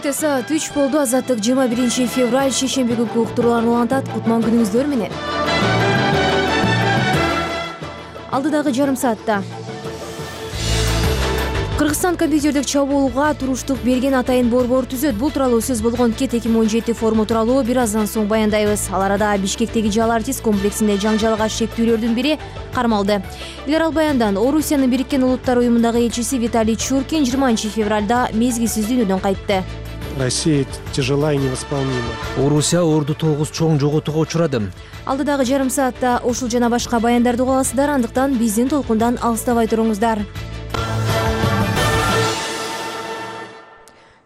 Кечте саат 3 болду. Азаттык 21 февраль шейшемби күнкү уктурууларын улантат. Кутман күнүңүздөр менен. Алдыдагы жарым саатта Кыргызстан компьютердик чабуулга туруштук берген атайын борбор түзөт. Бул тууралуу сөз болгон Кет 2017 форуму тууралуу бир аздан соң баяндайбыз. Ал арада Бишкектеги Жал артист комплексинде жаңжалга шектүүлөрдүн бири кармалды. Илер ал баяндан Орусиянын Бириккен Улуттар уюмундагы элчиси Виталий Чуркин 20 февралда мезгилсиз дүйнөдөн кайтты. Россия тяжела и невосполнима. Орусия орду 9 чоң жоготууга учурады. Алдыдагы жарым саатта ушул жана башка баяндарды уга аласыздар, андыктан биздин толкундан алыстабай туруңуздар.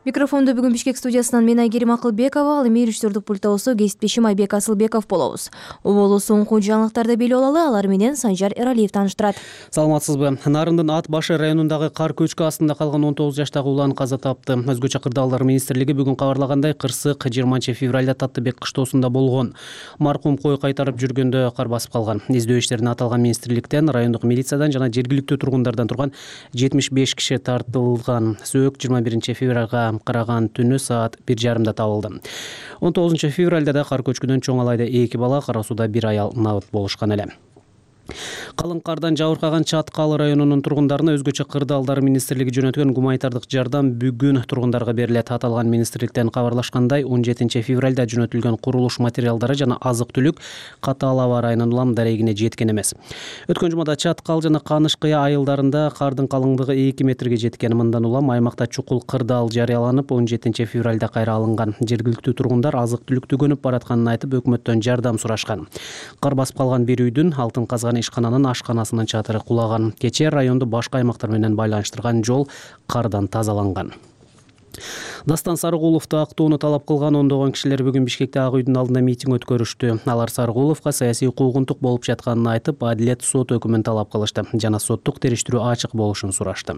Микрофонду бүгүн Бишкек студиясынан мен Айгерим Акылбекова, ал эми режиссердик пультта болсо кесиптешим Айбек Асылбеков болобуз. Оболу соңку жаңылыктарды билип алалы, алар менен Санжар Эралиев тааныштырат. Саламатсызбы? Нарындын Ат башы районундагы кар көчкү астында калган 19 жаштагы улан каза тапты. Өзгөчө кырдаалдар министрлиги бүгүн кабарлагандай, кырсык 20 февралда Таттыбек кыштоосунда болгон. Маркум кой кайтарып жүргөндө кар басып калган. Издөө иштерине аталган министрликтен, райондук милициядан жана жергиликтүү тургундардан турган 75 киши тартылган. Сөөк 21 февралга караган түнү саат 1:30 табылды. 19 февралда да кар көчкүдөн чоң алайда 2 бала, кара сууда 1 аял набыт болушкан эле. Калың кардан жабыркаган Чаткал районунун тургундарына өзгөчө кырдаалдар министрлиги жөнөткөн гуманитардык жардам бүгүн тургундарга берилет. Аталган министрликтен кабарлашкандай, 17 февралда жөнөтүлгөн курулуш материалдары жана азык-түлүк Катаал аба районунун Улам дарегине жеткен эмес. Өткөн жумада Чаткал жана Каныш кыя айылдарында кардын калыңдыгы 2 метрге жеткен. Мындан улам аймакта чукул кырдаал жарыяланып, 17 февралда кайра алынган. Жергиликтүү тургундар азык-түлүк төгөнүп баратканын айтып, өкмөттөн жардам сурашкан. Кар басып калган бир үйдүн алтын казган ишкананын ашканасынын чатыры кулаган. Кечээ районду башка аймактар менен байланыштырган жол кардан тазаланган. Дастан Сарыгуловду актоону талап кылган ондогон кишилер бүгүн Бишкекте Ак үйдүн алдында митинг өткөрүштү. Алар Сарыгуловго саясий куугунтук болуп жатканын айтып, адилет сот өкүмүн талап кылышты жана соттук териштирүү ачык болушун сурашты.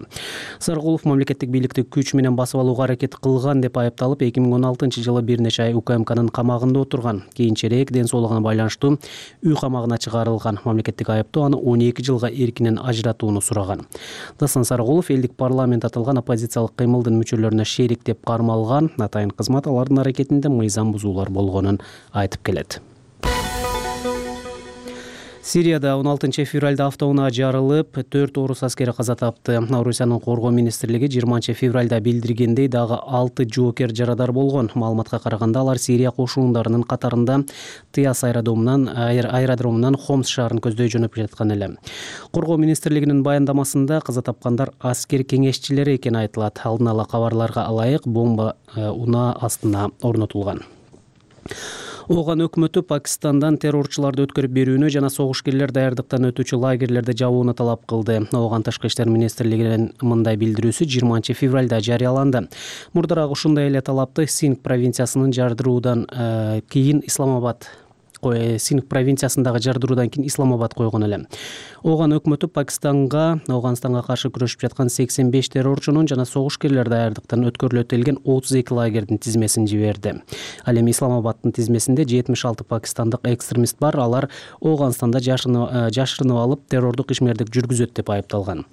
Сарыгулов мамлекеттик бийликти күч менен басып алууга аракет кылган деп айыпталып, 2016-жылы бир нече ай УКМКнын камагында отурган. Кийинчерээк ден соолугуна байланыштуу үй камагына чыгарылган. Мамлекеттик айыптоо аны 12 жылга эркинен ажыратууну сураган. Дастан Сарыгулов элдик парламент аталган оппозициялык кыймылдын мүчөлөрүнө шерик деп кармалган. Атайын кызмат алардын аракетинде мыйзам бузуулар болгонун айтып келет. Сирияда 16 февралда автоунаа жарылып, 4 орус аскери каза тапты. Орусиянын коргоо министрлиги 20 февралда билдиргендей, дагы 6 жоокер жарадар болгон. Маалыматка караганда, алар Сирия кошуундарынын катарында Тиас аэродромунан Хомс шаарын көздөй жөнөп жаткан эле. Коргоо министрлигинин баяндамасында каза тапкандар аскер кеңешчилери экени айтылат. Алдын ала кабарларга ылайык бомба унаа астына орнотулган. Ооган өкмөтү Пакистандан террорчуларды өткөрүп берүүнү жана согушкерлер даярдыктан өтүүчү лагерлерди жабууну талап кылды. Ооган Тышкы иштер министрлигинин мындай билдирүүсү 20 февралда жарыяланды. Мурдараак ушундай эле талапты Синд провинциясынын жардыруудан кийин Синд провинциясындагы жардыруудан кийин Исламабад койгон эле. Ооган өкмөтү Афганистанга каршы күрөшүп жаткан 85 террорчунун жана согушкерлер даярдыктан өткөрүлөт делген 32 лагердин тизмесин жиберди. Ал эми Исламабаддын тизмесинде 76 пакистандык экстремист бар. Алар Ооганстанда жашырынып алып террордук ишмердик жүргүзөт деп айыпталган.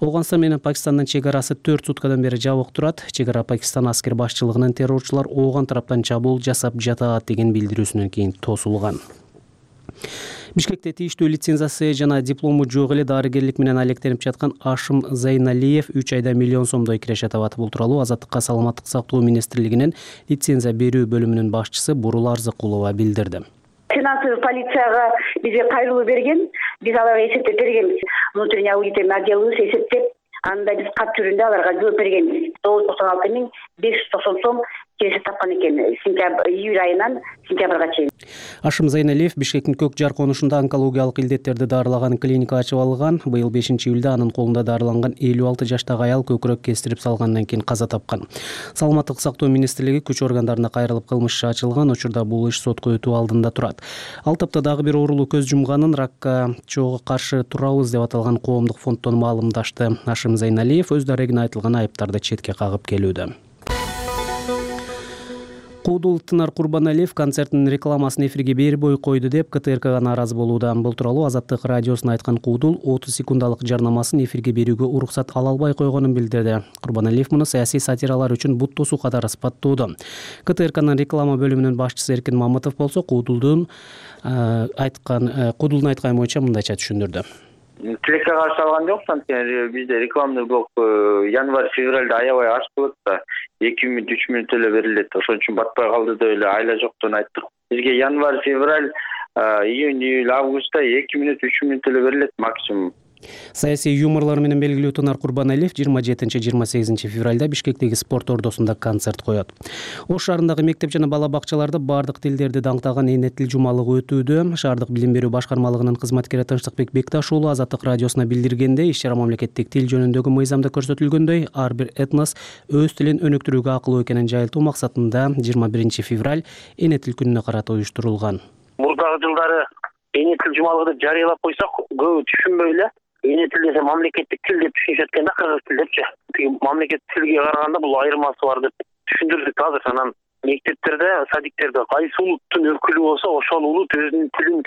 Ооганстан менен Пакистандын чек арасы 4 суткадан бери жабык турат. Чек ара Пакистан аскер башчылыгынын террорчулар Ооган тараптан чабуул жасап жатат деген билдирүүсүнөн кийин тосулган. Бишкекте тийиштүү лицензиясы жана диплому жок эле дарыгерлик менен алектенип жаткан Ашым Зайналиев 3 айда миллион сомдой киреше табат. Бул тууралуу Азаттыкка саламаттык сактоо министрлигинин лицензия берүү бөлүмүнүн башчысы Бурул Арзыкулова билдирди. Финансовый полицияга бизге кайрылуу берген, биз аларга эсептеп бергенбиз. Внутренний аудитный отделыбыз эсептеп, анда биз кат түрүндө аларга жооп бергенбиз. 996.590 сом киреше тапкан экен. Июль айынан сентябрга чейин. Ашым Зайналиев Бишкектин Көк Жар конушунда онкологиялык илдеттерди дарылаган клиника ачып алган. Быйыл 5-июлда анын колунда дарыланган 56 жаштагы аял көкүрөк кестирип салгандан кийин каза тапкан. Саламаттык сактоо министрлиги күч органдарына кайрылып кылмыш иши ачылган. Учурда бул иш сотко өтүү алдында турат. Ал тапта дагы бир оорулуу көз жумганын ракка чоого каршы турабыз деп аталган коомдук фонддон маалымдашты. Ашым Зайналиев өз дарегине айтылган айыптарды четке кагып келүүдө. Куудул Тынар Курбаналиев концерттин рекламасын эфирге бербей койду деп КТРКга нааразы болууда. Бул тууралуу Азаттык радиосуна айткан Куудул 30 секундалык жарнамасын эфирге берүүгө уруксат ала албай койгонун билдирди. Курбаналиев муну саясий сатиралар үчүн бут тосуу катары сыпаттоодо. КТРКнын реклама бөлүмүнүн башчысы Эркин Мамытов болсо Куудулдун айтканы боюнча мындайча түшүндүрдү. Тилекке каршы алган жок, анткени бизде рекламный блок январь-февралда аябай аз болот да, 2 мүнөт 3 мүнөт эле берилет. Ошон үчүн батпай калды деп эле айла жоктон айттык. Бизге январь-февраль, июнь-июль, августта 2 мүнөт 3 мүнөт эле берилет максимум. Саясий юморлор менен белгилүү Тынар Курбаналиев 27-28 февралда Бишкектеги спорт ордосунда концерт коет. Ош шаарындагы мектеп жана бала бакчаларда бардык тилдерди даңктаган эне тил жумалыгы өтүүдө. Шаардык билим берүү башкармалыгынын кызматкери Тынчтыкбек Бекташ уулу Азаттык радиосуна билдиргендей, иш-чара мамлекеттик тил жөнүндөгү мыйзамда көрсөтүлгөндөй ар бир этнос өз тилин өнүктүрүүгө акылуу экенин жайылтуу максатында 21 февраль эне тил күнүнө карата уюштурулган. Мурдагы жылдары эне тил жумалыгы деп жарыялап койсок, көбү түшүнбөй эле эне тил десе мамлекеттик тил деп түшүнүшөт экен да, кыргыз тил депчи. Мамлекеттик тилге караганда бул айырмасы бар деп түшүндүрдүк азыр. Анан мектептерде, садиктерде кайсы улуттун өкүлү болсо, ошол улут өзүнүн тилин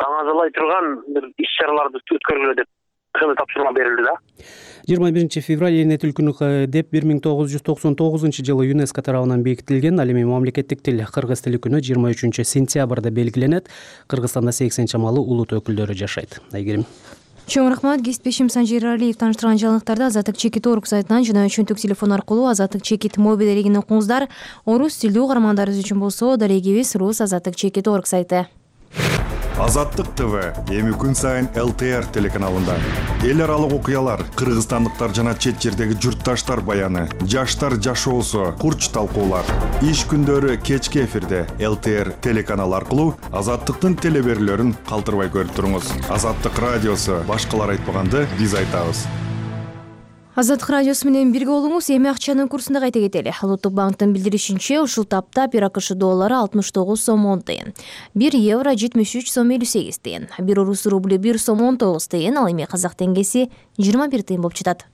таңазалай турган бир иш-чараларды өткөргүлө деп тапшырма берилди да. 21 февраль эне тил күнү деп 1999 жылы ЮНЕСКО тарабынан бекитилген. Ал эми мамлекеттик тил кыргыз тили күнү 23 сентябрда белгиленет. Кыргызстанда 80 чамалуу улут өкүлдөрү жашайт. Айгерим. Чоң рахмат. Кесиптешим Санжир Алиев таныштырган жаңылыктарды Азаттык чекит орг сайтынан жана чөнтөк телефон аркылуу Азаттык чекит мобил элегин окуңуздар. Орус тилдүү угармандарыбыз үчүн болсо дарегибиз Рус Азаттык чекит орг сайты. Азаттык ТВ эми күн сайын ЛТР телеканалында. Эл аралык окуялар, кыргызстандыктар жана чет жердеги журтташтар баяны, жаштар жашоосу, курч талкуулар. Иш күндөрү кечки эфирде ЛТР телеканалы аркылуу Азаттыктын телеберлөрүн калтырбай көрүп туруңуз. Азаттык радиосу башкалар айтпаганды биз айтабыз. Азаттык радиосу менен бирге болуңуз. Эми акчанын курсунда кайта кетели. Улуттук банктын билдиришинче, ушул тапта 1 АКШ доллары 69 сом 10 тыйын, 1 евро 73 сом 58 тыйын, 1 орус рубль 1 сом 19 тыйын, ал эми казак теңгеси 21 тыйын болуп жатат.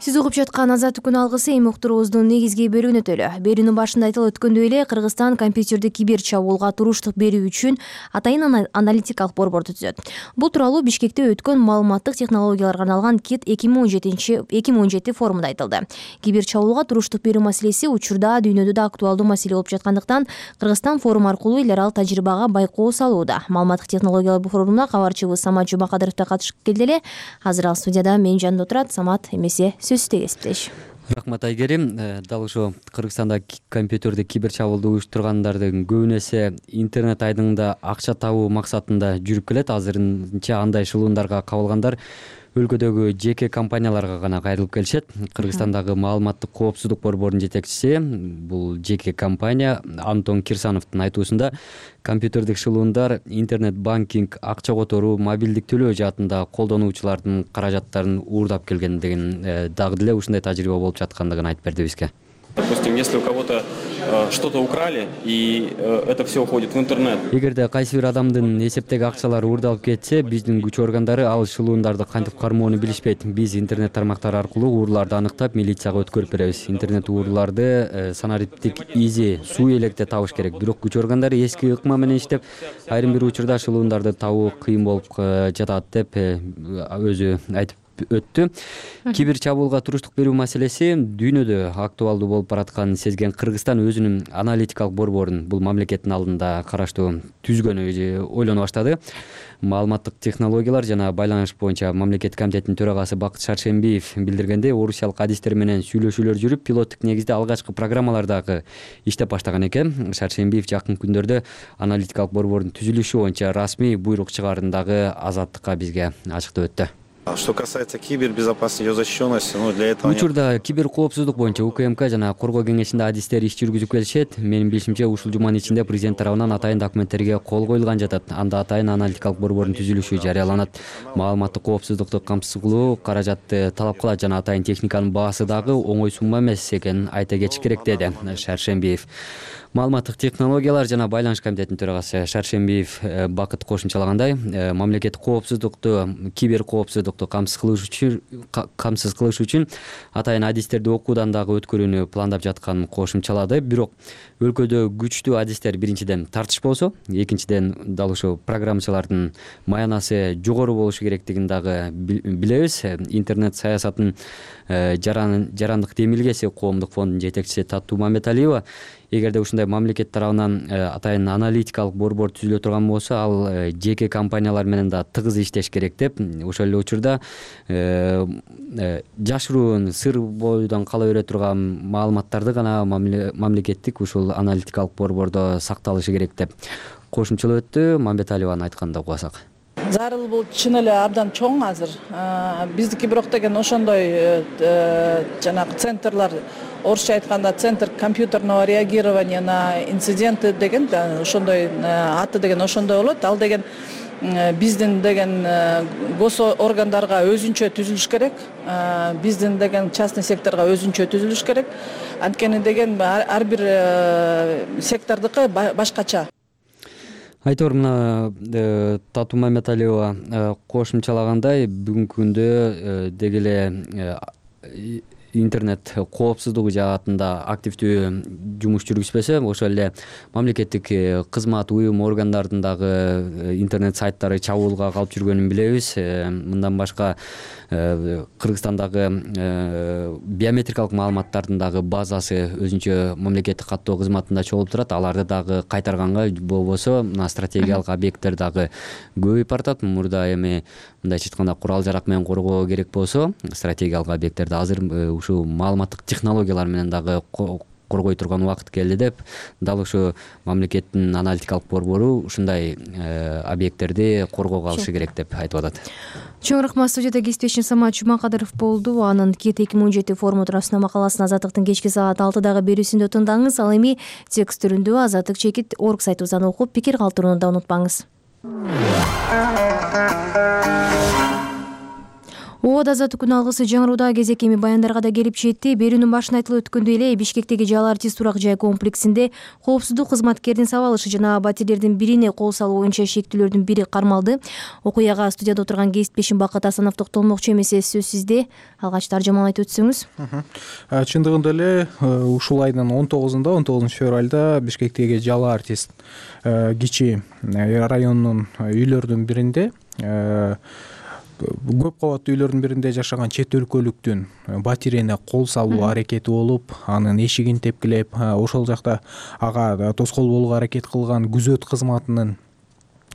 Сиз угуп жаткан Азаттык күн алгысы эми уктуруубуздун негизги бөлүгүнө өтөлү. Берүүнүн башында айтылып өткөндөй эле Кыргызстан компьютерди кибер чабуулга туруштук берүү үчүн атайын аналитикалык борборду түзөт. Бул тууралуу Бишкекте өткөн маалыматтык технологияларга арналган КИТ 2017 форумунда айтылды. Кибер чабуулга туруштук берүү маселеси учурда дүйнөдө да актуалдуу маселе болуп жаткандыктан Кыргызстан форум аркылуу эл аралык тажрыйбага байкоо салууда. Маалыматтык технологиялар форумуна кабарчыбыз Самат Жумакадыров да катышып келди эле. Азыр ал студияда менин жанымда отурат. Самат, эмесе сөзсүз кесиптеш. Рахмат Айгерим. Дал ошо Кыргызстанда компьютерди кибер чабуулду уюштургандардын көбүн эсе интернет айдыңында акча табуу максатында жүрүп келет. Азырынча андай шылуундарга кабылгандар өлкөдөгү жеке компанияларга гана кайрылып келишет. Кыргызстандагы маалыматтык коопсуздук борборунун жетекчиси, бул жеке компания, Антон Кирсановдун айтуусунда компьютердик шылуундар интернет банкинг, акча которуу, мобилдик төлөө жаатында колдонуучулардын каражаттарын уурдап келген деген дагы деле ушундай тажрыйба болуп жаткандыгын айтып берди бизге. Допустим, если у кого-то что-то украли, и это все уходит в интернет. Эгерде кайсы бир адамдын эсептеги акчалары уурдалып кетсе, биздин күч органдары ал шылуундарды кантип кармоону билишпейт. Биз интернет тармактары аркылуу ууруларды аныктап, милицияга өткөрүп беребиз. Интернет ууруларды санариптик изи, суу электе табыш керек. Бирок күч органдары эски ыкма менен иштеп, айрым бир учурда шылуундарды табуу кыйын болуп жатат деп өзү айтып өттү. Кибер чабуулга туруштук берүү маселеси дүйнөдө актуалдуу болуп баратканын сезген Кыргызстан өзүнүн аналитикалык борборун бул мамлекеттин алдында караштуу түзгөнү ойлоно баштады. Маалыматтык технологиялар жана байланыш боюнча мамлекеттик комитеттин төрагасы Бакыт Шаршембиев билдиргендей, орусиялык адистер менен сүйлөшүүлөр жүрүп, пилоттук негизде алгачкы программалар дагы иштеп баштаган экен. Шаршембиев жакын күндөрдө аналитикалык борбордун түзүлүшү боюнча расмий буйрук чыгаарын дагы Азаттыкка бизге ачыктап өттү. Что касается кибербезопасности, ее защищенности, для этого... Учурда кибер коопсуздук боюнча УКМК жана Коргоо кеңешинде адистер иш жүргүзүп келишет. Менин билишимче, ушул жуманын ичинде президент тарабынан атайын документтерге кол коюлган жатат. Анда атайын аналитикалык борбордун түзүлүшү жарыяланат. Маалыматтык коопсуздукту камсыз кылуу каражатты талап кылат жана атайын техниканын баасы дагы оңой сумма эмес экенин айта кетиш керек, деди Шаршембиев. Маалыматтык технологиялар жана байланыш комитетинин төрагасы Шаршембиев Бакыт кошумчалагандай, мамлекеттик коопсуздукту, кибер коопсуздукту камсыз кылыш үчүн атайын адистерди окуудан дагы өткөрүүнү пландап жатканын кошумчалады. Бирок өлкөдө күчтүү адистер биринчиден тартыш болсо, экинчиден дал ушул программачылардын маянасы жогору болушу керектигин дагы билебиз. Интернет саясатынын жарандык демилгеси коомдук фондунун жетекчиси Татуу Мамбеталиева, эгерде ушундай мамлекет тарабынан атайын аналитикалык борбор түзүлө турган болсо, ал жеке компаниялар менен да тыгыз иштеш керек деп, ошол эле учурда жашыруун сыр бойдон кала бере турган маалыматтарды гана мамлекеттик ушул аналитикалык борбордо сакталышы керек деп кошумчалап өттү. Мамбеталиеванын айтканын да угасак. Зарыл бул чын эле абдан чоң азыр. Биздики бирок деген ошондой жанагы центрлар, орусча айтканда центр компьютерного реагирования на инциденты деген ошондой аты деген ошондой болот. Ал деген биздин деген гос органдарга өзүнчө түзүлүш керек. Биздин деген частный секторго өзүнчө түзүлүш керек. Анткени деген ар бир сектордуку башкача. Айтор, мына Татуу Мамбеталиева кошумчалагандай, бүгүнкү күндө деги эле интернет коопсуздугу жаатында активдүү жумуш жүргүзбөсө, ошол эле мамлекеттик кызмат уюм органдардын дагы интернет сайттары чабуулга калып жүргөнүн билебиз. Мындан башка Кыргызстандагы биометрикалык маалыматтардын дагы базасы өзүнчө мамлекеттик каттоо кызматында чогулуп турат. Аларды дагы кайтарганга болбосо, мына стратегиялык объекттер дагы көбөйүп баратат. Мурда эми мындайча айтканда курал жарак менен коргоо керек болсо, стратегиялык объекттерди азыр ушул маалыматтык технологиялар менен дагы коргой турган убакыт келди деп, дал ушу мамлекеттин аналитикалык борбору ушундай объекттерди коргоого алышы керек деп айтып атат. Чоң рахмат. Студияда кесиптешим Самат Жумакадыров болду. Анын Кет 2017 форуму туурасында макаласын Азаттыктын кечки саат 6-дагы берүүсүндө тыңдаңыз. Ал эми текст түрүндө Азаттык чекит орг сайтыбыздан окуп, пикир калтырууну да унутпаңыз. Оода азаттык күн алгысы жаңырууда кезек эми баяндарга да келип жетти. Берүүнүн башында айтылып өткөндөй эле Бишкектеги Жалал Артист турак жай комплексинде коопсуздук кызматкердин сабалышы жана батирлердин бирине кол салуу боюнча шектүүлөрдүн бири кармалды. Окуяга студияда отурган кесиптешим Бакыт Асанов токтолмокчу эмес, сөз сизде. Алгач таржамалап айтып өтсөңүз. Чындыгында эле ушул айдын 19 февралда Бишкектеги Жалал Артист кичи районунун үйлөрүнүн биринде көп кабаттуу үйлөрдүн биринде жашаган чет өлкөлүктүн батирине кол салуу аракети болуп, анын эшигин тепкилеп, ошол жакта ага тоскоол болууга аракет кылган күзөт кызматынын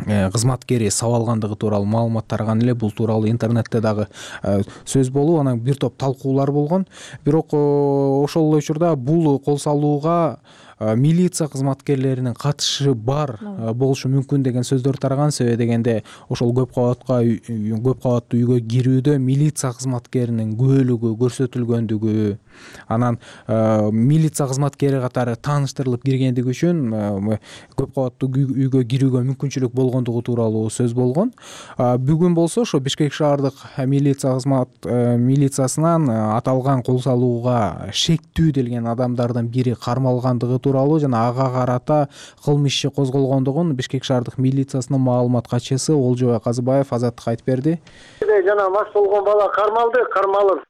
кызматкери сабалгандыгы тууралуу маалымат тараган эле. Бул тууралуу интернетте дагы сөз болуп, анан бир топ талкуулар болгон. Бирок ошол эле учурда бул кол салууга милиция кызматкерлеринин катышы бар болушу мүмкүн деген сөздөр тараган. Себеби дегенде ошол көп кабаттуу үйгө кирүүдө милиция кызматкеринин күбөлүгү көрсөтүлгөндүгү, анан милиция кызматкери катары тааныштырылып киргендиги үчүн көп кабаттуу үйгө кирүүгө мүмкүнчүлүк болгондугу тууралуу сөз болгон. Бүгүн болсо ошо Бишкек шаардык милициясынан аталган кол салууга шектүү делген адамдардын бири кармалгандыгы тууралуу жана ага карата кылмыш иши козголгондугун Бишкек шаардык милициясынын маалымат катчысы Олжобай Казыбаев Азаттыкка айтып берди. Жана мас болгон бала кармалып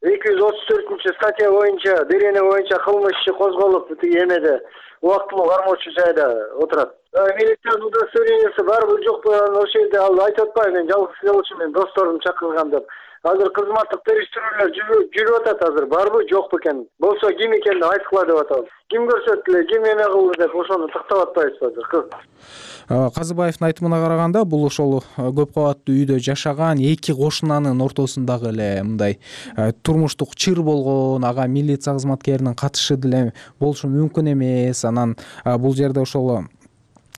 234-статья боюнча, дерене боюнча кылмыш иши козголуп, тиги эмеде убактылуу кармоочу жайда отурат. Милициянын удостоверениясы барбы жокпу, ошол жерде ал айтып атпайбы, мен жалгыз эле мен досторум чакырган деп. Азыр кызматтык териштирүүлөр жүрүп атат. Азыр барбы жокпу экен, болсо ким экенин айткыла деп атабыз. Ким көрсөттүлө, ким эме кылды деп ошону тактап атпайбызбы азыр. Казыбаевдин айтымына караганда, бул ошол көп кабаттуу үйдө жашаган эки кошунанын ортосундагы эле мындай турмуштук чыр болгон, ага милиция кызматкеринин катышы деле болушу мүмкүн эмес. Анан бул жерде ошол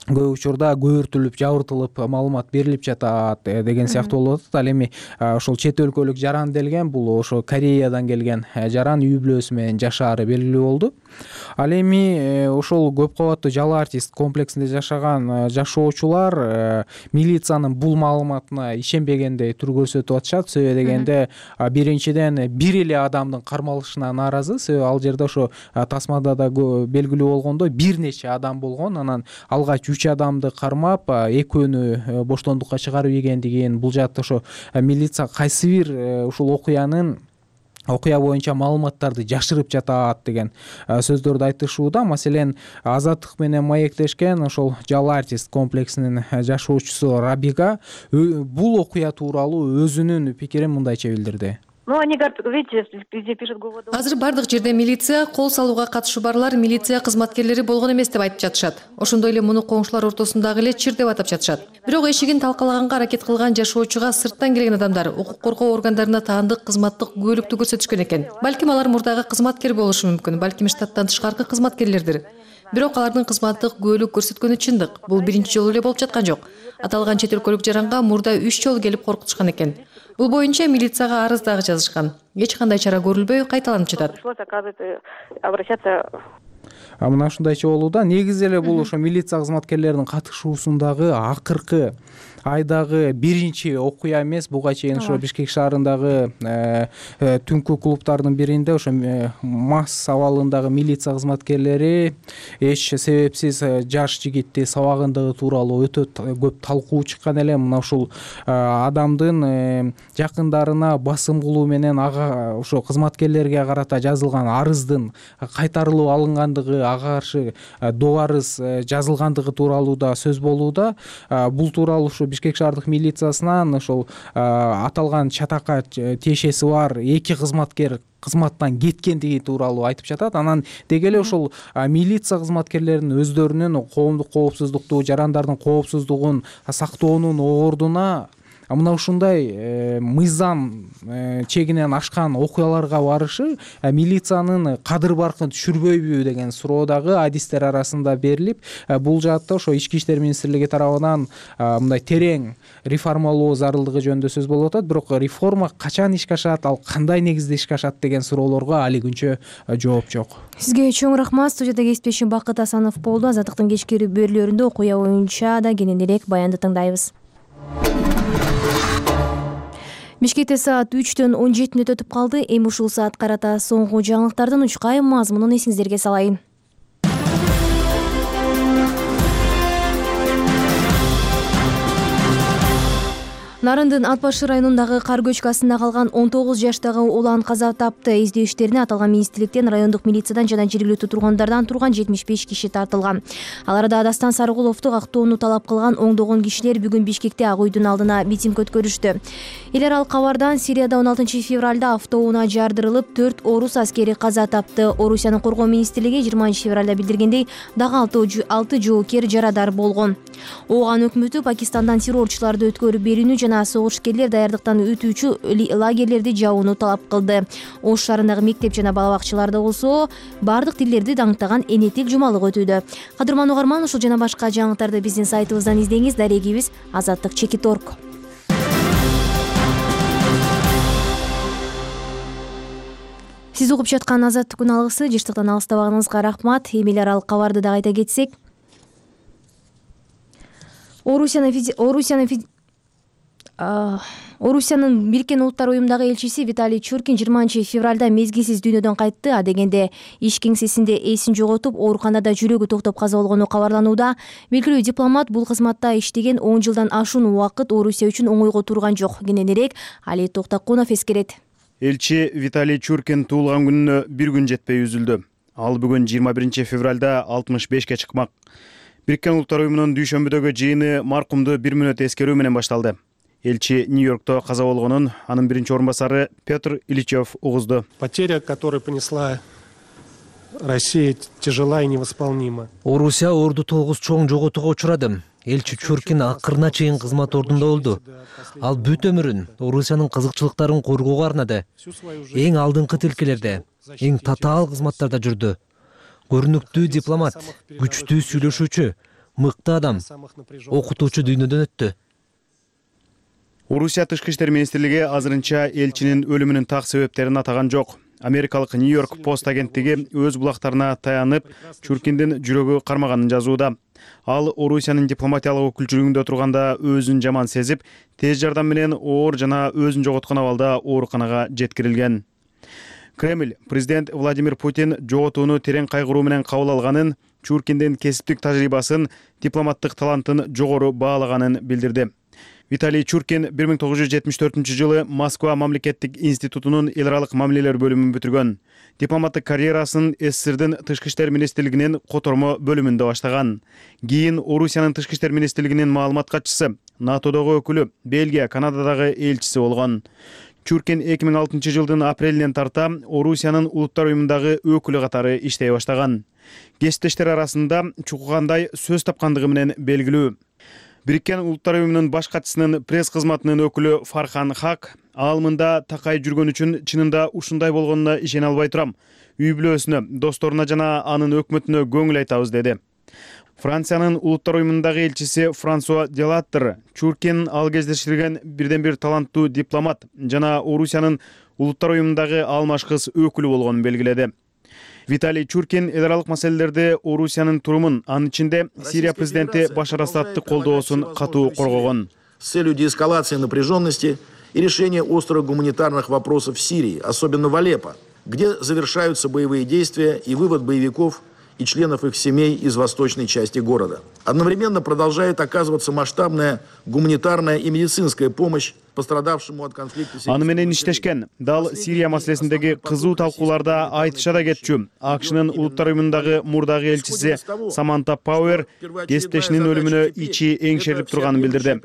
көп учурда көбүртүлүп жабыртылып маалымат берилип жатат деген сыяктуу болуп атат. Ал эми ошол чет өлкөлүк жаран делген бул ошо Кореядан келген жаран үй бүлөсү менен жашаары белгилүү болду. Ал эми ошол көп кабаттуу жалал артист комплексинде жашаган жашоочулар милициянын бул маалыматына ишенбегендей тур көрсөтүп атышат. Себеби дегенде биринчиден бир эле адамдын кармалышына нааразы. Себеби ал жерде ошо тасмада да белгилүү болгондой бир нече адам болгон. Анан алгач 3 адамды кармап, экөөнү боштондукка чыгарып ийгендигин, бул жакта ошо милиция кайсы бир ушул окуя боюнча маалыматтарды жашырып жатат деген сөздөрдү айтышууда. Маселен, Азаттык менен маектешкен ошол жалал артист комплексинин жашоочусу Рабига бул окуя тууралуу өзүнүн пикирин мындайча билдирди. Азыр бардык жерде милиция, кол салууга катышы барлар милиция кызматкерлери болгон эмес деп айтып жатышат. Ошондой эле муну коңшулар ортосундагы эле чир деп атап жатышат. Бирок эшигин талкалаганга аракет кылган жашоочуга сырттан келген адамдар укук коргоо органдарына таандык кызматтык күбөлүктү көрсөтүшкөн экен. Балким алар мурдагы кызматкер болушу мүмкүн, балким штаттан тышкаркы кызматкерлердир. Бирок алардын кызматтык күбөлүк көрсөткөнү чындык. Бул биринчи жолу эле болуп жаткан жок. Аталган чет өлкөлүк жаранга мурда 3 жолу келип коркутушкан экен. Бул боюнча милицияга арыз дагы жазышкан. Эч кандай чара көрүлбөй кайталанып жатат. Мына ушундайча болууда. Негизи эле бул ошо милиция кызматкерлеринин катышуусундагы акыркы айдагы биринчи окуя эмес. Буга чейин ошо Бишкек шаарындагы түнкү клубтардын биринде ошо мас абалындагы милиция кызматкерлери эч себепсиз жаш жигитти сабагандыгы тууралуу өтө көп талкуу чыккан эле. Мына ушул адамдын жакындарына басым кылуу менен ага ошо кызматкерлерге карата жазылган арыздын кайтарылып алынгандыгы, ага каршы доо арыз жазылгандыгы тууралуу да сөз болууда. Бул тууралуу ушу Бишкек шаардык милициясынан ошол аталган чатакка тиешеси бар 2 кызматкер кызматтан кеткендиги тууралуу айтып жатат. Анан деги эле ошол милиция кызматкерлеринин өздөрүнүн коомдук коопсуздукту, жарандардын коопсуздугун сактоонун ордуна мына ушундай мыйзам чегинен ашкан окуяларга барышы милициянын кадыр баркын түшүрбөйбү деген суроо дагы адистер арасында берилип, бул жаатта ошо Ички иштер министрлиги тарабынан мындай терең реформалоо зарылдыгы жөнүндө сөз болуп атат. Бирок реформа качан ишке ашат, ал кандай негизде ишке ашат деген суроолорго али күнчө жооп жок. Сизге чоң рахмат. Студияда кесиптешим Бакыт Асанов болду. Азаттыктын кечки берүүлөрүндө окуя боюнча да кененирээк баянды тыңдайбыз. Бишкекте саат 3-төн 17 өтүп калды. Эми ушул саат карата соңку жаңылыктардын учкай мазмунун эсиңиздерге салайын. Нарындын Ат башы районундагы кар көчкүсүндө калган 19 жаштагы улан каза тапты. Издөө иштерине аталган министрликтен, райондук милициядан жана жергиликтүү тургундардан турган 75 киши тартылган. Аларда Дастан Сарыгуловду кактоону талап кылган оңдогон кишилер бүгүн Бишкекте Ак үйдүн алдына митинг өткөрүштү. Эл аралык кабардан Сирияда 16 февралда автоунаа жардырылып 4 орус аскери каза тапты. Орусиянын коргоо министрлиги 20 февралда билдиргендей, дагы 6 жоокер жарадар болгон. Ооган өкмөтү Пакистандан террорчуларды өткөрүп берүүнү жана согушкерлер даярдыктан өтүүчү лагерлерди жабууну талап кылды. Ош шаарындагы мектеп жана балабакчаларда болсо бардык тилдерди даңктаган энетик жумалык өтүүдө. Кадырман угарман, ушул жана башка жаңылыктарды биздин сайтыбыздан издеңиз. Дарегибиз azattik.org. Сиз угуп жаткан Азаттык күн алгысы, жыштыктан алыстабаганыңызга рахмат. Эми эл аралык кабарды да айта кетсек, Орусиянын Бириккен Улуттар уюмундагы элчиси Виталий Чуркин 20 февралда мезгилсиз дүйнөдөн кайтты. А дегенде иш кеңсесинде эсин жоготуп, ооруканада жүрөгү токтоп каза болгону кабарланууда. Белгилүү дипломат бул кызматта иштеген 10 жылдан ашуун убакыт Орусия үчүн оңойго турган жок. Кененирээк Али Токтакунов эскерет. Элчи Виталий Чуркин туулган күнүнө бир күн жетпей үзүлдү. Ал бүгүн 21 февралда 65 чыкмак. Бириккен Улуттар уюмунун дүйшөмбүдөгү жыйыны маркумду 1 мүнөт эскерүү менен башталды. Элчи Нью-Йоркто каза болгонун анын биринчи орун басары Петр Ильичев угузду. Потеря, которую понесла Россия, тяжела и невосполнима. Орусия орду тогуз чоң жоготууга учурады. Элчи Чуркин акырына чейин кызмат ордунда болду. Ал бүт өмүрүн Орусиянын кызыкчылыктарын коргоого арнады. Эң алдыңкы тилкелерде, эң татаал кызматтарда жүрдү. Көрүнүктүү дипломат, күчтүү сүйлөшүүчү, мыкты адам, окутуучу дүйнөдөн өттү. Орусия тышкы иштер министрлиги азырынча элчинин өлүмүнүн так себептерин атаган жок. Америкалык Нью-Йорк Пост агенттиги өз булактарына таянып, Чуркиндин жүрөгү кармаганын жазууда. Ал Орусиянын дипломатиялык өкүлчүлүгүндө турганда өзүн жаман сезип, тез жардам менен оор жана өзүн жоготкон абалда ооруканага жеткирилген. Кремль президент Владимир Путин жоготууну терең кайгыруу менен кабыл алганын, Чуркиндин кесиптик тажрыйбасын, дипломаттык талантын жогору баалаганын билдирди. Виталий Чуркин 1974-жылы Москва мамлекеттик институтунун эл аралык мамилелер бөлүмүн бүтүргөн. Дипломаттык карьерасын СССРдин тышкы иштер министрлигинин котормо бөлүмүндө баштаган. Кийин Орусиянын тышкы иштер министрлигинин маалымат катчысы, НАТОдогу өкүлү, Бельгия, Канададагы элчиси болгон. Чуркин 2006-жылдын апрелинен тарта Орусиянын улуттар уюмундагы өкүлү катары иштей баштаган. Кесиптештер арасында чукугандай сөз тапкандыгы менен белгилүү. Бириккен Улуттар уюмунун баш катчысынын пресс кызматынын өкүлү Фархан Хак ал мында такай жүргөн үчүн чынында ушундай болгонуна ишене албай турам. Үй бүлөсүнө, досторуна жана анын өкмөтүнө көңүл айтабыз деди. Франциянын Улуттар уюмундагы элчиси Франсуа Делаттер Чуркин ал кездештирген бирден бир таланттуу дипломат жана Орусиянын Улуттар уюмундагы алмаш кыз өкүлү болгонун белгиледи. Виталий Чуркин эл аралык маселелерде Орусиянын турумун, анын ичинде Сирия президенти Башар Асадты колдоосун катуу коргогон. С целью деэскалации напряженности и решения острых гуманитарных вопросов в Сирии, особенно в Алеппо, где завершаются боевые действия и вывод боевиков и членов их семей из восточной части города. Одновременно продолжает оказываться масштабная гуманитарная и медицинская помощь пострадавшему от конфликта. Аны менен иштешкен. Дал Сирия маселесиндеги кызуу талкууларда айтыша да кетчү. АКШнын улуттар уюмундагы мурдагы элчиси Саманта Пауэр кесиптешинин өлүмүнө ичи эңшерип турганын билдирди.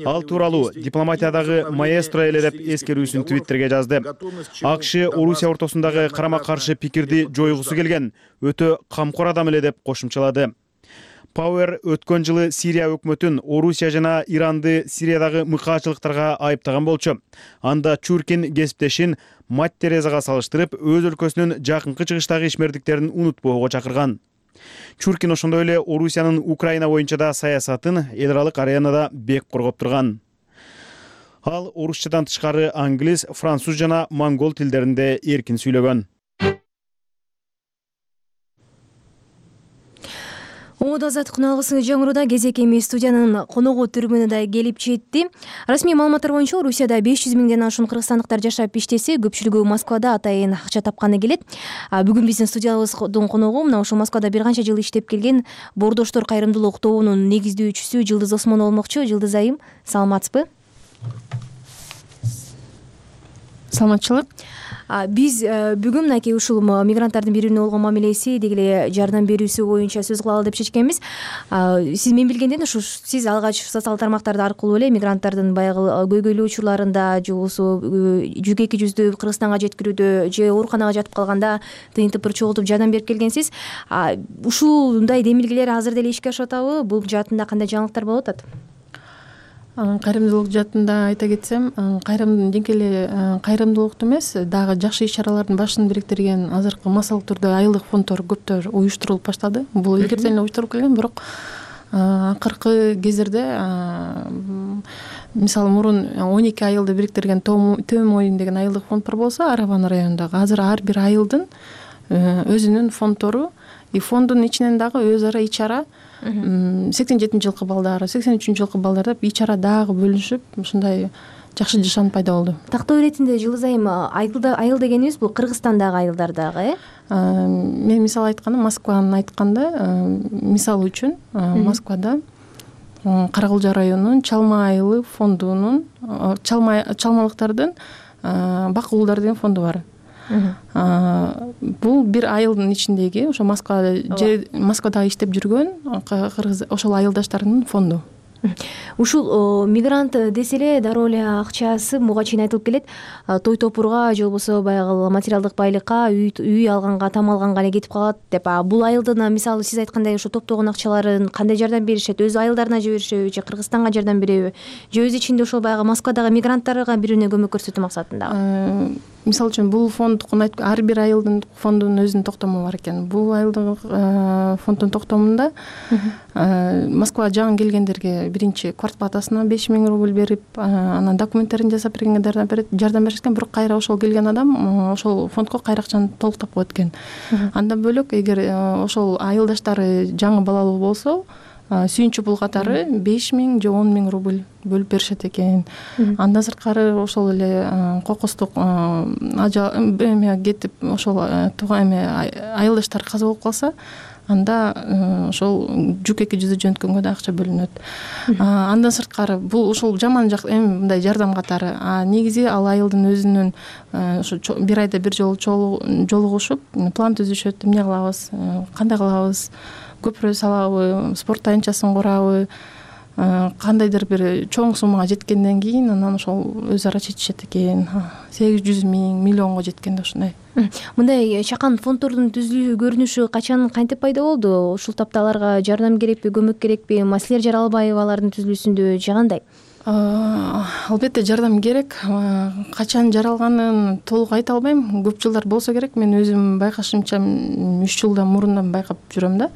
Ал тууралуу дипломатиядагы маэстро эле деп эскерүүсүн Твиттерге жазды. АКШ Орусия ортосундагы карама-каршы пикирди жойгусу келген өтө камкор адам эле деп кошумчалады. Пауэр өткөн жылы Сирия өкмөтүн Орусия жана Иранды Сириядагы мыкаачылыктарга айыптаган болчу. Анда Чуркин кесиптешин мать Терезага салыштырып, өз өлкөсүнүн жакынкы чыгыштагы ишмердиктерин унутпоого чакырган. Чуркин ошондой эле Орусиянын Украина боюнча да саясатын эл аралык аренада бек коргоп турган. Ал орусчадан тышкары англис, француз жана монгол тилдеринде эркин сүйлөгөн. Оңодо азаттык күналгысы жаңырууда кезек эми студиянын коногу түрүмүнө да келип жетти. Расмий маалыматтар боюнча Орусияда 500 миңден ашуун кыргызстандыктар жашап иштесе, көпчүлүгү Москвада атайын акча тапканы келет. Бүгүн биздин студиябыздын коногу мына ошол Москвада бир канча жыл иштеп келген Боордоштор кайрымдуулук тобунун негиздөөчүсү Жылдыз Осмонова болмокчу. Жылдыз айым, саламатсызбы? Саламатчылык. Биз бүгүн мынакей ушул мигранттардын бири-бирине болгон мамилеси, деги эле жардам берүүсү боюнча сөз кылалы деп чечкенбиз. Сиз мен билгенден ушу сиз алгач социалдык тармактар аркылуу эле мигранттардын баягы көйгөйлүү учурларында же болбосо жүк эки жүздү Кыргызстанга жеткирүүдө же ооруканага жатып калганда тыйынтып чогултуп жардам берип келгенсиз. Ушундай демилгелер азыр деле ишке ашып атабы? Бул жаатында кандай жаңылыктар болуп атат? Кайрымдуулук жаатында айта кетсем, жеңке эле кайрымдуулукту эмес, дагы жакшы иш-чаралардын башын бириктирген азыркы массалык түрдө айылдык фонддор көптөр уюштурулуп баштады. Бул илгертен эле уюштурулуп келген, бирок акыркы кездерде мисалы мурун 12 айылды бириктирген Төө Моюн деген айылдык фонд бар болсо, Араван районундагы азыр ар бир айылдын өзүнүн фонддору и фонддун ичинен дагы өз ара ич-чара 87-жылкы балдары, 83-жылкы балдар деп ич-чара дагы бөлүнүшүп, ушундай жакшы жашан пайда болду. Тактоо иретинде Жылдыз айым айыл дегенибиз бул Кыргызстандагы айылдардагы, Мен мисал айтканда, Москваны айтканда, мисал үчүн Москвада Каракылжа районунун Чалма айылы фондунун чалмалыктардын Бак уулдар деген фонду бар. Бул бир айылдын ичиндеги ошо Москвада иштеп жүргөн кыргыз ошол айылдаштарынын фонду. Ушул мигрант десе эле дароо эле акчасы буга чейин айтылып келет. Той топурга же болбосо баягы материалдык байлыкка, үй алганга, там алганга эле кетип калат деп. Бул айылдын мисалы сиз айткандай ошо топтогон акчаларын кандай жардам беришет? Өз айылдарына жиберишеби же Кыргызстанга жардам береби? Же өз ичинде ошол баягы Москвадагы мигранттарга бири-бирине көмөк көрсөтүү максатында? мисалы үчүн бул фонддукун ар бир айылдын фондунун өзүнүн токтому бар экен. Бул айылдын фонддун токтомунда Москва жаңы келгендерге биринчи квартплатасына 5000 рубль берип, анан документтерин жасап бергенге жардам беришет экен. Бирок кайра ошол келген адам ошол фондко кайра акчаны толуктап коет экен. Андан бөлөк эгер ошол айылдаштары жаңы балалуу болсо, сүйүнчү пул катары 5000 же 10 000 рубль бөлүп беришет экен. Андан сырткары ошол эле кокустук кетип ошол айылдаштар каза болуп калса, анда ошол жүк экижүзү жөнөткөнгө да акча бөлүнөт. Андан сырткары бул ушул жаман жак мындай жардам катары. Негизи ал айылдын өзүнүн бир айда бир жолу жолугушуп план түзүшөт. Эмне кылабыз, кандай кылабыз, көпүрө салабы, спорт тайынчасын курабы, кандайдыр бир чоң суммага жеткенден кийин анан ошол өз ара чечишет экен. 800 000 миллионго жеткенде ушундай. Мындай чакан фонддордун түзүлүү көрүнүшү качан кантип пайда болду? Ушул тапта аларга жардам керекпи, көмөк керекпи? Маселер Жаралбаева алардын түзүлүүсүндө же кандай? Албетте жардам керек. Качан жаралганын толук айта албайм. Көп жылдар болсо керек. Мен өзүм байкашымча 3 жылдан мурундан байкап жүрөм да.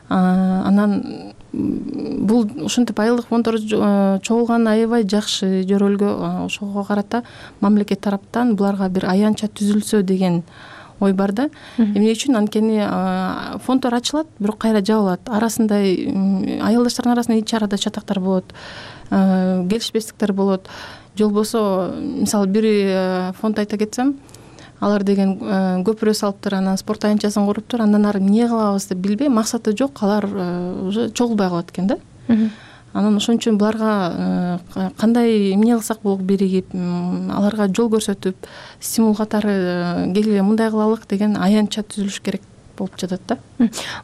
Анан бул ушинтип айылдык фонддор чогулган аябай жакшы жөрөлгө. Ошого карата мамлекет тараптан буларга бир аянтча түзүлсө деген ой бар да. Эмне үчүн? Анткени фонддор ачылат, бирок кайра жабылат. Арасында айылдаштардын арасында ич арада чатактар болот, келишпестиктер болот. Же болбосо, мисалы бир фонд айта кетсем, алар деген көпүрө салыптыр, анан спорт тайынчасын куруптур, андан ары эмне кылабыз деп билбей, максаты жок, алар уже чогулбай калат экен да. Анан ошон үчүн буларга кандай эмне кылсак болот биригип, аларга жол көрсөтүп, стимул катары келгиле мындай кылалык деген аянтча түзүлүш керек болуп жатат да.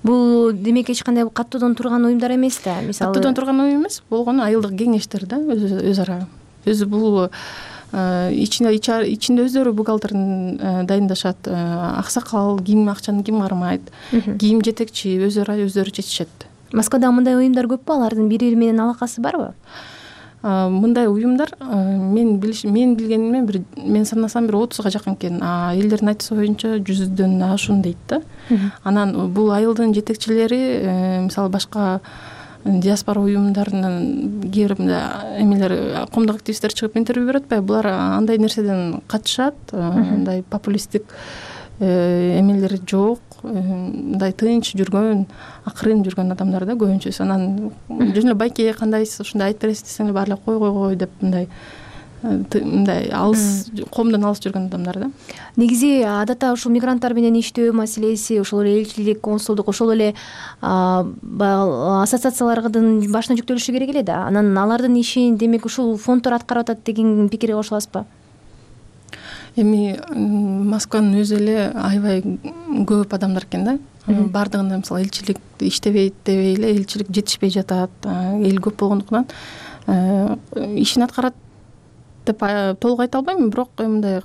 Бул демек эч кандай каттоодон турган уюмдар эмес да, мисалы. Каттоодон турган уюм эмес, болгону айылдык кеңештер да, өз ара. Өзү бул ичинде өздөрү бухгалтерин дайындашат, аксакал ким акчаны ким кармайт, ким жетекчи, өздөрү чечишет. Москвада мындай уюмдар көппү? Алардын бири менен алакасы барбы? Мындай уюмдар мен билгенимден мен санасам бир 30га жакын экен. Элдердин айтышы боюнча 100дөн ашуун дейт да. Анан бул айылдын жетекчилери мисалы башка диаспора уюмдарынын кээ бир эмелер, коомдук активисттер чыгып интервью берип атпайбы? Булар андай нерседен качышат, андай популисттик эмелери жок, мындай тынч жүргөн, акырын жүргөн адамдар да көбүнчөсү. Анан жөн эле байке кандайсыз, ушундай айтып бересиз десең эле баары кой деп мындай алыс, коомдон алыс жүргөн адамдар да. Негизи адатта ушул мигранттар менен иштөө маселеси, ошол эле элчилик, консулдук, ошол эле ассоциациялардын башына жүктөлүшү керек эле да. Анан алардын ишин демек ушул фонддор аткарып атат деген пикирге кошуласызбы? Эми Москванын өзү эле аябай көп адамдар экен да. Бардыгында мисалы элчилик иштебейт дебей эле, элчилик жетишпей жатат, эл көп болгондуктан ишин аткарат деп толук айта албайм, бирок мындай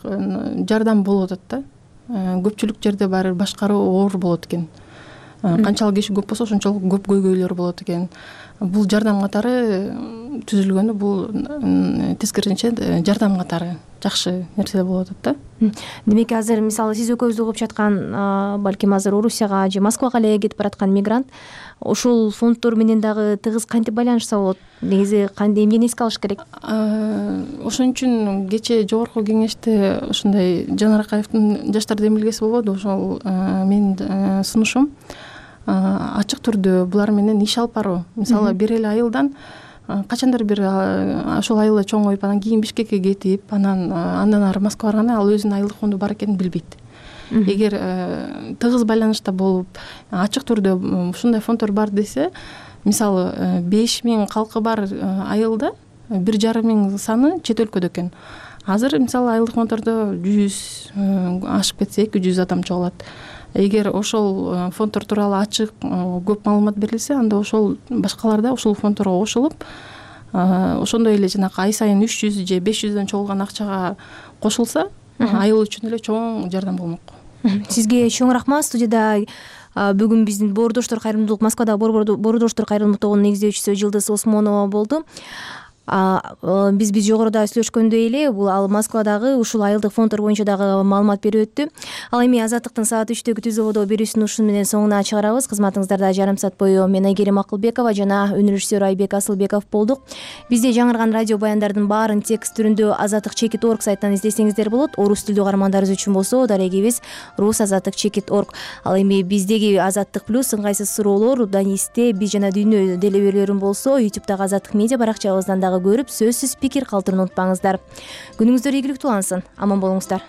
жардам болуп атат да. Көпчүлүк жерде баары башкаруу оор болот экен. Канчалык киши көп болсо ошончолук көп көйгөйлөр болот экен. Бул жардам катары түзүлгөндө бул тескерисинче жардам катары жакшы нерсе болуп атат да. Демек азыр мисалы сиз экөөбүз угуп жаткан, балким азыр Орусияга же Москвага эле кетип бараткан мигрант ошол фонддор менен дагы тыгыз кантип байланышса болот? Негизи кандай эмнени эске алыш керек? Ошон үчүн кечээ жогорку кеңеште ушундай Жанар Акаевдин жаштар демилгеси болбоду. Ошол менин сунушум ачык түрдө булар менен иш алып баруу. Мисалы бир эле айылдан качандыр бир ошол айылда чоңоюп, анан кийин Бишкекке кетип, андан ары Москвага барганда ал өзүнүн айылдык фонду бар экенин билбейт. Эгер тыгыз байланышта болуп, ачык түрдө ушундай фонддор бар десе, мисалы 5000 калкы бар айылда 1,5 саны чет өлкөдө экен. Азыр мисалы айылдык фонддордо 100 ашып кетсе 200 адам чогулат. Эгер ошол фонддор тууралуу ачык көп маалымат берилсе, анда ошол башкалар да ошол фонддорго кошулуп, ошондой эле жанакы ай сайын 300 же 500дөн чогулган акчага кошулса, айыл үчүн эле чоң жардам болмок. Сизге чоң рахмат. Студияда бүгүн биздин Боордоштор кайрымдуулук, Москвада Боордоштор кайрымдуулук тобунун негиздөөчүсү Жылдыз Осмонова болду. биз жогоруда сүйлөшкөндөй эле бул ал Москвадагы ушул айылдык фонддор боюнча дагы маалымат берип өттү. Ал эми Азаттыктын саат 3төгү түз ободо берүүсүн ушун менен соңуна чыгарабыз. Кызматыңыздарда жарым саат бою мен Айгерим Акылбекова жана өнөр режиссеру Айбек Асылбеков болдук. Бизде жаңырган радио баяндардын баарын текст түрүндө azattik.org сайтынан издесеңиздер болот. Орус тилдүү каармандарыбыз үчүн болсо дарегибиз rus.azattik.org. Ал эми биздеги Азаттык плюс ыңгайсыз суроолор Данисте биз жана дүйнө делеберлерин болсо YouTube'дагы Азаттык медиа баракчабыздан дагы көрүп сөзсүз пикир калтырууну унутпаңыздар. Күнүңүздөр ийгиликтүү улансын. Аман болуңуздар.